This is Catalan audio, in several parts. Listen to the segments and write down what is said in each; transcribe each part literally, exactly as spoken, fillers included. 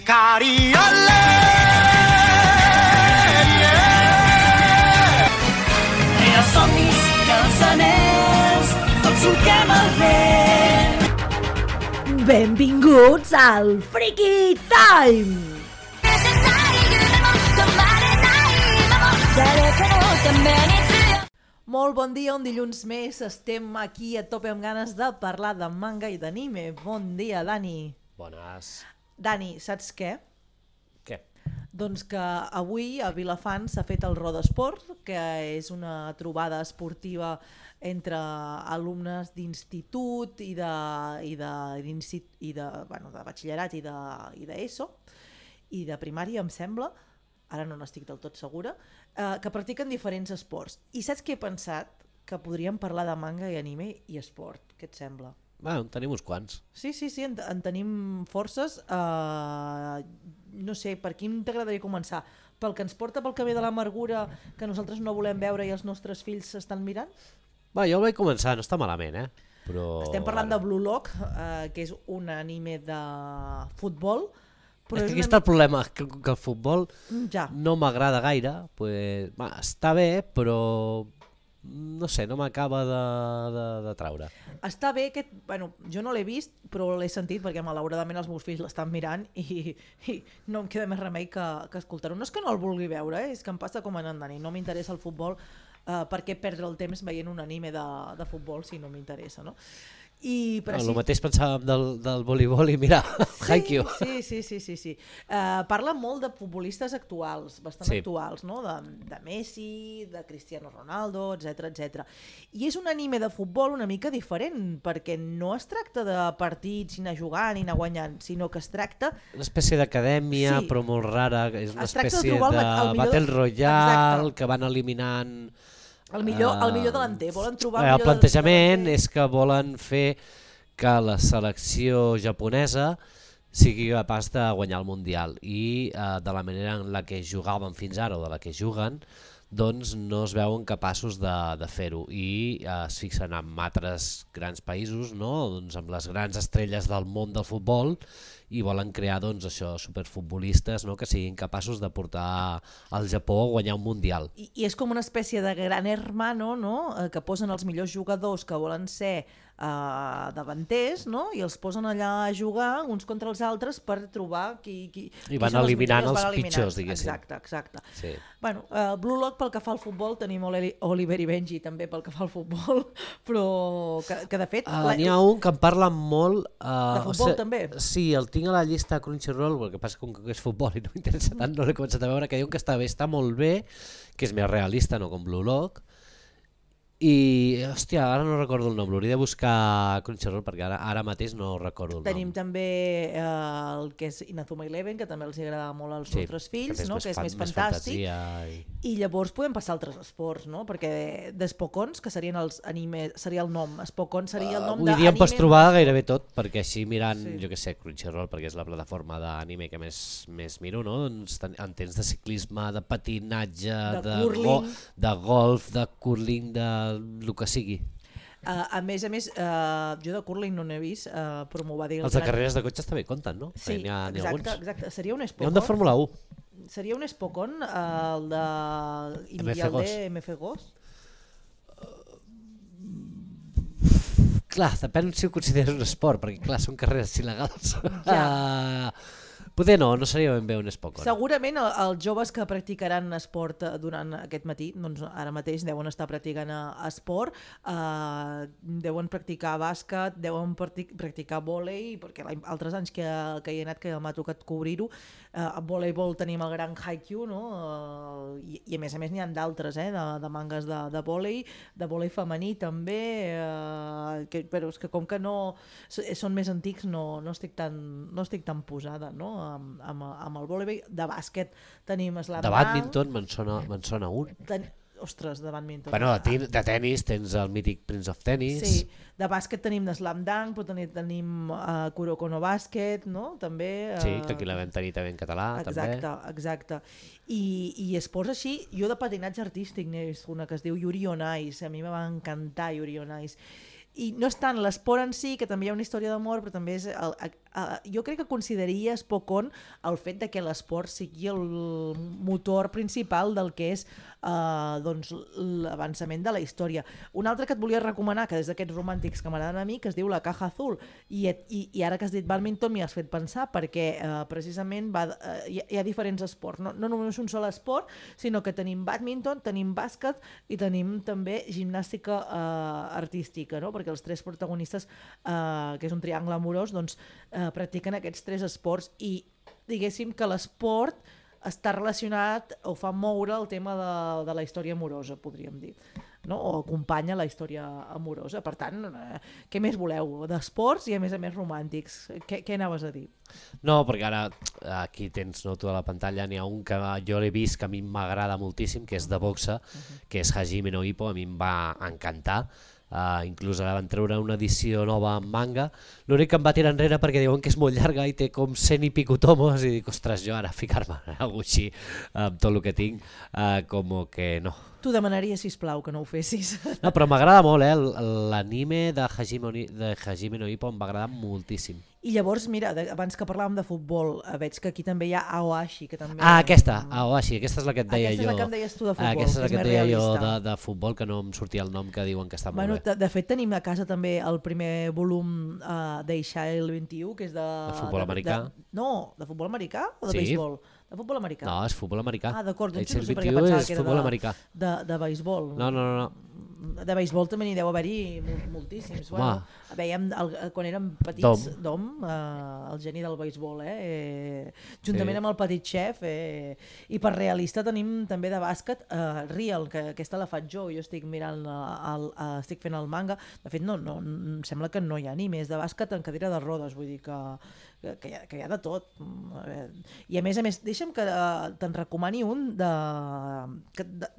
Cari, olé! Rere els somnis i els anells, tots solquem el vent. Benvinguts al Freaky Time! Molt bon dia, un dilluns més. Estem aquí a tope amb ganes de parlar de manga i d'anime. Bon dia, Dani. Bones. Dani, saps què? Què? Doncs que avui a Vilafant s'ha fet el Rodesport, que és una trobada esportiva entre alumnes d'institut i de, i de, i de, bueno, de batxillerat i de, i d'ESO i de primària, em sembla, ara no n'estic del tot segura, eh, que practiquen diferents esports. I saps què he pensat? Que podríem parlar de manga i anime i esport. Què et sembla? Bueno, en tenim uns quants. Sí, sí, sí, en, en tenim forces. Uh, no sé, per quin t'agradaria començar? Pel que ens porta pel camí de l'amargura que nosaltres no volem veure i els nostres fills s'estan mirant? Va, jo vaig començar, no està malament, eh? Però... Estem parlant de Blue Lock, uh, que és un anime de futbol. Però és que aquí està el problema, que, que el futbol ja. no m'agrada gaire. Pues, va, està bé, però no sé, no m'acaba de, de, de traure. Està bé, que, bueno, jo no l'he vist, però l'he sentit perquè malauradament els meus fills l'estan mirant i, i no em queda més remei que, que escoltar-ho. No és que no el vulgui veure, eh? És que em passa com en Dani, no m'interessa el futbol, eh, per què perdre el temps veient un anime de, de futbol si no m'interessa, no? I, però no, sí, el mateix pensàvem del, del voleibol i mira, sí, Haikyuu. Sí, sí, sí, sí, sí. Uh, parla molt de futbolistes actuals, bastant sí. actuals, no? De, de Messi, de Cristiano Ronaldo, etcètera, etcètera. I és un anime de futbol una mica diferent, perquè no es tracta de partits, ni anar jugant, ni anar guanyant, sinó que es tracta... Una espècie d'acadèmia, sí. però molt rara, és una es tracta espècie de, de, el, el Battle Royale. Exacte. Que van eliminant... El millor, el millor delanter, volen trobar el, el millor plantejament delanter. És que volen fer que la selecció japonesa sigui capaç de guanyar el Mundial i eh, de la manera en la que jugaven fins ara o de la que juguen, doncs no es veuen capaços de, de fer-ho i eh, es fixen en altres grans països, no? Doncs amb les grans estrelles del món del futbol, i volen crear doncs, això, superfutbolistes, no? Que siguin capaços de portar al Japó a guanyar un Mundial. I, i és com una espècie de gran hermano, no? Eh, que posen els millors jugadors que volen ser Uh, davanters, no? I els posen allà a jugar uns contra els altres per trobar qui... qui I van qui eliminant els, els eliminant. pitjors, diguéssim. Exacte, exacte. Sí. Bueno, uh, Blue Lock pel que fa al futbol tenim Oliver i Benji també pel que fa al futbol, però que, que de fet... Uh, N'hi ha un que en parla molt... Uh, de futbol o sigui, també? Sí, el tinc a la llista Crunchyroll, el que passa que és futbol i no m'interessa tant, no l'he començat a veure, que diuen que està bé, està molt bé, que és més realista, no com Blue Lock. I, hòstia, ara no recordo el nom, l'hauria de buscar Crunchyroll perquè ara, ara mateix no recordo el Tenim nom. Tenim també eh, el que és Inazuma Eleven, que també els agrada molt als sí, nostres fills, que és, no? més, que és fan, més més fantàstic. I... I llavors podem passar a altres esports, no? Perquè d'Espocons, que serien els anime, seria el nom, Espocons seria el nom uh, d'anime. Avui dia em pots trobar gairebé tot, perquè així mirant, sí. jo què sé, Crunchyroll, perquè és la plataforma d'anime que més, més miro, no? Doncs en tens de ciclisme, de patinatge, de, de, go, de golf, de curling, de el que sigui. Uh, a més a més, uh, jo de curling no n'he vist, uh, però m'ho va dir... Els de carreres de cotxes també compten, no? Sí, ha, exacte, exacte. Seria un Espocon. Hi ha un de Fórmula u. Seria un Espocon, uh, el de... M F de M F Gos? Clar, depèn si ho consideres un esport, perquè clar, són carreres il·legals. Ja. Uh, Poder no, no seria ben bé un Espocon. Segurament els joves que practicaran esport durant aquest matí, doncs ara mateix deuen estar practicant esport, eh, deuen practicar bàsquet, deuen practicar vòlei, perquè altres anys que, que hi he anat que m'ha tocat cobrir-ho, eh, a voleibol tenim el gran Haikyuu, no? eh, i, i a més a més n'hi ha d'altres, eh, de, de mangas de, de vòlei, de vòlei femení també, eh, que, però és que com que no són més antics no, no, estic, tan, no estic tan posada, no? Amb, amb, amb el voleibol. De bàsquet tenim slam de dunk. bàdminton me'n sona, me sona un. Ten... Ostres, de bàdminton. Bueno, de, ten de tenis tens el mític Prince of Tennis. Sí, de bàsquet tenim de slam dunk, però tenim, tenim uh, Kuroko no Bàsquet, no? També. Uh... Sí, que aquí la vam tenir també en català. Exacte, també. exacte. I, I esports així, jo de patinatge artístic n'he vist una que es diu Yuri on Ice, a mi me va encantar Yuri on Ice. I no és tant l'esport en si, que també hi ha una història d'amor, però també és el, uh, jo crec que consideraria espocón el fet de que l'esport sigui el motor principal del que és uh, doncs, l'avançament de la història. Un altre que et volia recomanar, que és d'aquests romàntics que m'agraden a mi, que es diu La Caja Azul, i, i, i ara que has dit bàdminton m'hi has fet pensar, perquè uh, precisament va, uh, hi, ha, hi ha diferents esports, no, no només un sol esport, sinó que tenim bàdminton, tenim bàsquet i tenim també gimnàstica uh, artística, no? Perquè els tres protagonistes, uh, que és un triangle amorós, doncs, uh, practiquen aquests tres esports i diguéssim que l'esport està relacionat o fa moure el tema de, de la història amorosa, podríem dir, no? O acompanya la història amorosa. Per tant, eh, què més voleu? D'esports i a més a més romàntics. Què, què anaves a dir? No, perquè ara aquí tens, no, tu a la pantalla, n'hi ha un que jo l'he vist que a mi m'agrada moltíssim, que és de boxa, uh-huh. que és Hajime no Ippo, a mi em va encantar. Uh, inclús ara van treure una edició nova en manga. L'únic que em va tirar enrere perquè diuen que és molt llarga i té com cent i pico tomos i dic, ostres, jo ara ficar-me en alguna cosa així amb tot el que tinc, uh, com que no. T'ho demanaria, sisplau, que no ho fessis. No, però m'agrada molt, eh? L'anime de Hajime, de Hajime no Ippo em va agradar moltíssim. I llavors, mira, de, abans que parlàvem de futbol, eh, veig que aquí també hi ha Aoashi, que també... Ah, aquesta, Aoashi, aquesta és la que et deia aquesta jo. Aquesta és la que em deies tu de futbol, aquesta és la que, que és et deia realista. jo de, de futbol, que no em sortia el nom, que diuen que està molt bueno, bé. De fet, tenim a casa també el primer volum uh, d'Eixail vint-i-u, que és de... De futbol de, americà? De, no, de futbol americà o de Sí. beisbol? De futbol americà. No, és futbol americà. Ah, d'acord, jo no sé per què vint-i-u pensava és que era futbol de, americà. de, de beisbol. No, no, no. no. De beisbol també n'hi deu haver-hi moltíssims. Bueno, veiem el, quan érem petits, Dom, Dom eh, el geni del beisbol, eh, eh, juntament sí. amb el Petit Chef, eh, i per realista tenim també de bàsquet eh, Real, que aquesta la faig jo, jo estic mirant el, el, estic fent el manga, de fet no, no, em sembla que no hi ha animes de bàsquet en cadira de rodes, vull dir que, que, que, hi, ha, que hi ha de tot. I a més a més, deixa'm que uh, te'n recomani un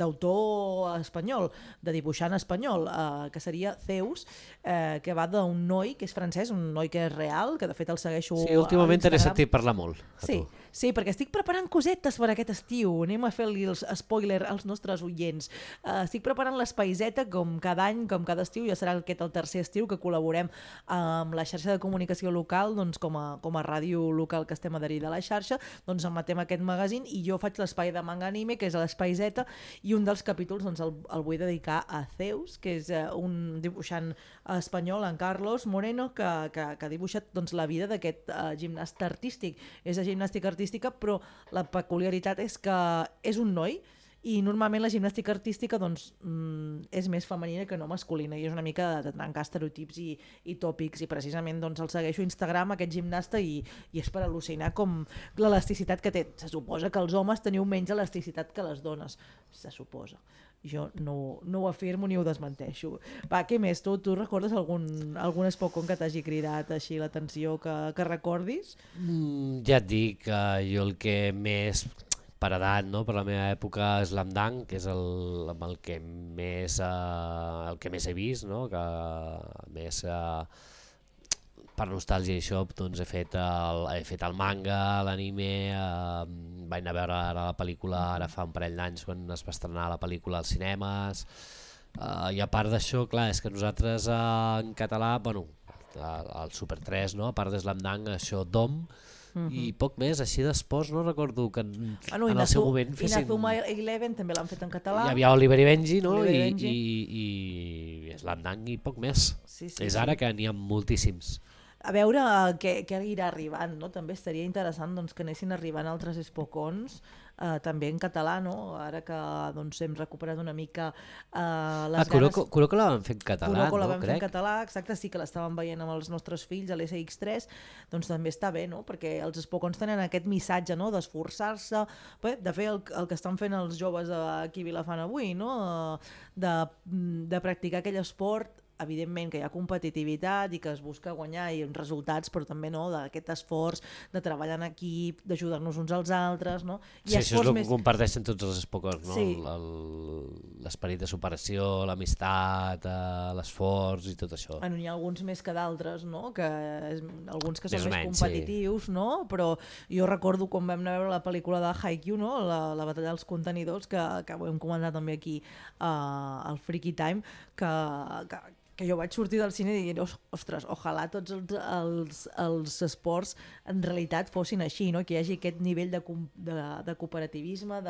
d'autor espanyol, de dibuixant espanyol, uh, que seria Zeus, uh, que va d'un noi que és francès, un noi que és real, que de fet el segueixo sí, últimament t'he sentit parlar molt. Sí, sí, perquè estic preparant cosetes per aquest estiu, anem a fer-li els spoiler als nostres oients. Uh, estic preparant l'espaiseta com cada any, com cada estiu, ja serà aquest el tercer estiu que col·laborem amb la xarxa de comunicació local, doncs com a, com a ràdio local que estem adherida a la xarxa, doncs emetem aquest magazín i jo faig l'espai de manga anime, que és l'espaiseta, i un dels capítols doncs, el, el vull dedicar a Zeus, que és uh, un dibuixant espanyol, en Carlos Moreno, que, que, que ha dibuixat doncs, la vida d'aquest uh, gimnasta artístic. És de gimnàstica artística, però la peculiaritat és que és un noi i normalment la gimnàstica artística doncs, mm, és més femenina que no masculina i és una mica de trencar estereotips i, i tòpics i precisament doncs, el segueixo a Instagram, aquest gimnasta, i, i és per al·lucinar com l'elasticitat que té. Se suposa que els homes teniu menys elasticitat que les dones, se suposa. Jo no, no ho afirmo ni ho desmenteixo. Va, què més? Tu, tu recordes algun, algun espocón que t'hagi cridat així l'atenció que, que recordis? Mm, ja et dic, uh, jo el que més per edat, no? Per la meva època, Slam Dunk, que és el, amb el que més, uh, el que més he vist, no? Que més uh, per nostàlgia i això, doncs he fet el, he fet el manga, l'anime, uh, vaig anar a veure ara la pel·lícula ara fa un parell d'anys quan es va estrenar la pel·lícula als cinemes, uh, i a part d'això, clar, és que nosaltres uh, en català, bueno, el Super tres, no? A part de Slam Dunk, això Dom, Uh-huh. i poc més, així d'esports no recordo que en, ah, no, en el seu moment fessin... Inazuma Eleven també l'han fet en català. Hi havia Oliver i Benji, no? Oliver I, Benji. i, i Slam Dunk i poc més. Sí, sí, és sí. Ara que n'hi ha moltíssims. A veure què, què irà arribant, no? També estaria interessant doncs, que anessin arribant altres espocons, eh, també en català, no? Ara que doncs, hem recuperat una mica eh, les ah, Kuroko, ganes... Kuroko la van fer en català, Kuroko la no? van fer en català, exacte, sí que l'estàvem veient amb els nostres fills a l'S X tres, doncs també està bé, no? Perquè els espocons tenen aquest missatge, no? D'esforçar-se, de fer el, el que estan fent els joves aquí a Vilafant avui, no? De, de practicar aquell esport, evidentment que hi ha competitivitat i que es busca guanyar i uns resultats, però també no, d'aquest esforç de treballar en equip, d'ajudar-nos uns als altres, no? I sí, això és el més... que comparteixen tots els espocons, no? Sí. L'esperit de superació, l'amistat, l'esforç i tot això. Bueno, n'hi ha alguns més que d'altres, no? Que és, alguns que són més, més menys, competitius, sí. No? Però jo recordo quan vam anar a veure la pel·lícula de Haikyuu, no? La, la batalla dels contenidors, que, que ho hem comentat també aquí uh, al Freaky Time, que, que que jo vaig sortir del cine dient, ostres, ojalà tots els, els, els esports en realitat fossin així, no? Que hi hagi aquest nivell de, de, de cooperativisme,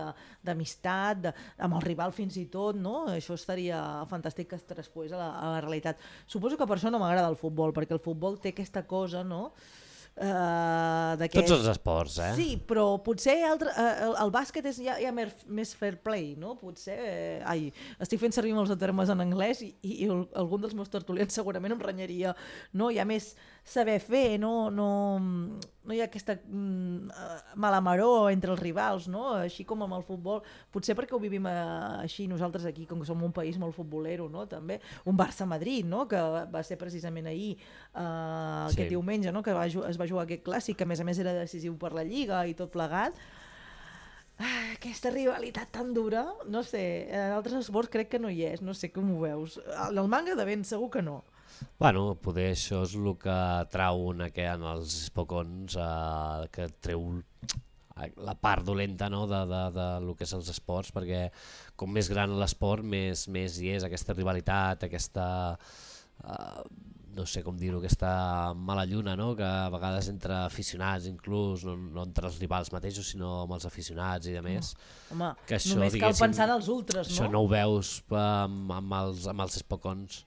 d'amistat, amb el rival fins i tot, no? Això estaria fantàstic que es traspoés a la, a la realitat. Suposo que per això no m'agrada el futbol, perquè el futbol té aquesta cosa, no?, Uh, tots els esports, eh? Sí, però potser altre, uh, el, el bàsquet és ja, ja més, més fair play, no? Potser, eh, ai, estic fent servir molts termes en anglès i, i el, algun dels meus tertulians segurament em renyaria, no? Hi ha més saber fer, no, no, no hi ha aquesta mm, malamaró entre els rivals, no? Així com amb el futbol, potser perquè ho vivim uh, així nosaltres aquí, com que som un país molt futbolero, no? També un Barça-Madrid, no? Que va ser precisament ahir, uh, aquest sí. diumenge, no? Que va, es va jugar aquest clàssic, que a més a més era decisiu per la Lliga i tot plegat. Ah, aquesta rivalitat tan dura, no sé, en altres esports crec que no hi és, no sé com ho veus. En el manga de ben segur que no. Bueno, poder això és el que trau una que en els espocons, eh, que treu la part dolenta, no?, de, de, de lo que és els esports, perquè com més gran l'esport, més, més hi és aquesta rivalitat, aquesta... Eh, no sé com dir-ho, aquesta mala lluna, no? Que a vegades entre aficionats inclús, no, no entre els rivals mateixos, sinó amb els aficionats i de més. No. Home, que això, només cal pensar en els ultres, no? Això no ho veus amb, amb els, amb els espocons.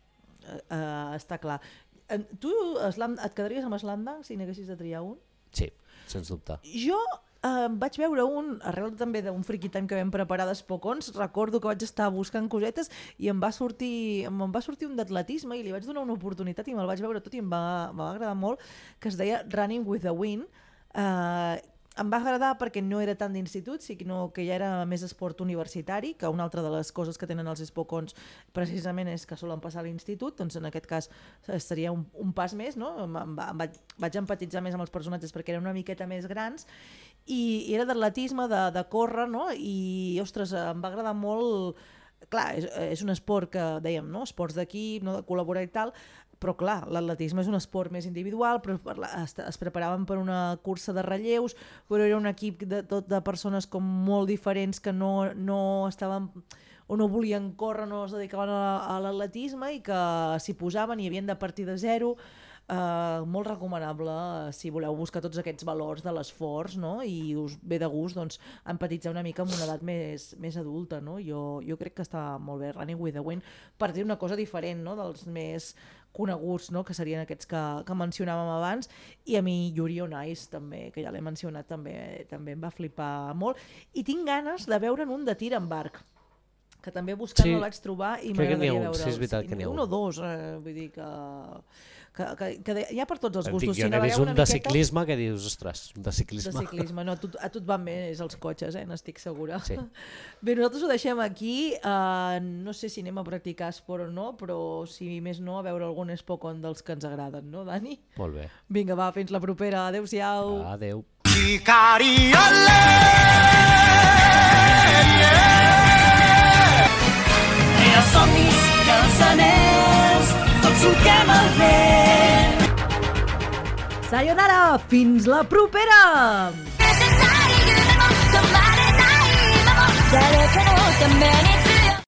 Uh, uh, està clar. Uh, tu slam, et quedaries amb Slamdang si n'haguessis de triar un? Sí, sens dubte. Jo uh, vaig veure un, arrel també d'un Friki Time que vam preparar d'espocons, recordo que vaig estar buscant cosetes i em va sortir, em va sortir un d'atletisme i li vaig donar una oportunitat i me'l vaig veure tot i em va, em va agradar molt, que es deia Running with the Wind. Uh, em va agradar perquè no era tant d'institut, sinó que ja era més esport universitari, que una altra de les coses que tenen els espocons precisament és que solen passar a l'institut, doncs en aquest cas seria un, un pas més, no? Em, em, em vaig, vaig empatitzar més amb els personatges perquè eren una miqueta més grans i, i era d'atletisme, de, de córrer, no? I ostres, em va agradar molt. Clar, és, és un esport que dèiem, no? Esports d'equip, no? De col·laborar i tal, però clar, l'atletisme és un esport més individual, però es, es preparaven per una cursa de relleus, però era un equip de, tot de persones com molt diferents que no, no estaven o no volien córrer, no es dedicaven a, a l'atletisme i que s'hi posaven i havien de partir de zero. Uh, molt recomanable si voleu buscar tots aquests valors de l'esforç, no? I us ve de gust doncs, empatitzar una mica amb una edat més, més adulta, no? Jo, jo crec que està molt bé Running with the Wind per dir una cosa diferent, no? Dels més coneguts, no? Que serien aquests que, que mencionàvem abans, i a mi Yuri on Ice també, que ja l'he mencionat, també, també em va flipar molt i tinc ganes de veure'n un de tir amb arc, que també buscant sí, el vaig trobar i m'agradaria veure'l. Sí, és veritat que n'hi ha un. Un o dos, eh, vull dir que... Que, que, que hi ha per tots els gustos. Dic, jo si n'he vist un de miqueta... ciclisme que dius, ostres, de ciclisme. De ciclisme, no, a tu, a tu et van més els cotxes, eh? N'estic segura. Sí. Bé, nosaltres ho deixem aquí, uh, no sé si anem a practicar esport o no, però si més no, a veure algun espocon dels que ens agraden, no, Dani? Molt bé. Vinga, va, fins la propera, adeu-siau. Adeu. Era somnis i els anells, tots solquem el vent. Sayonara, fins la propera! 誰かのために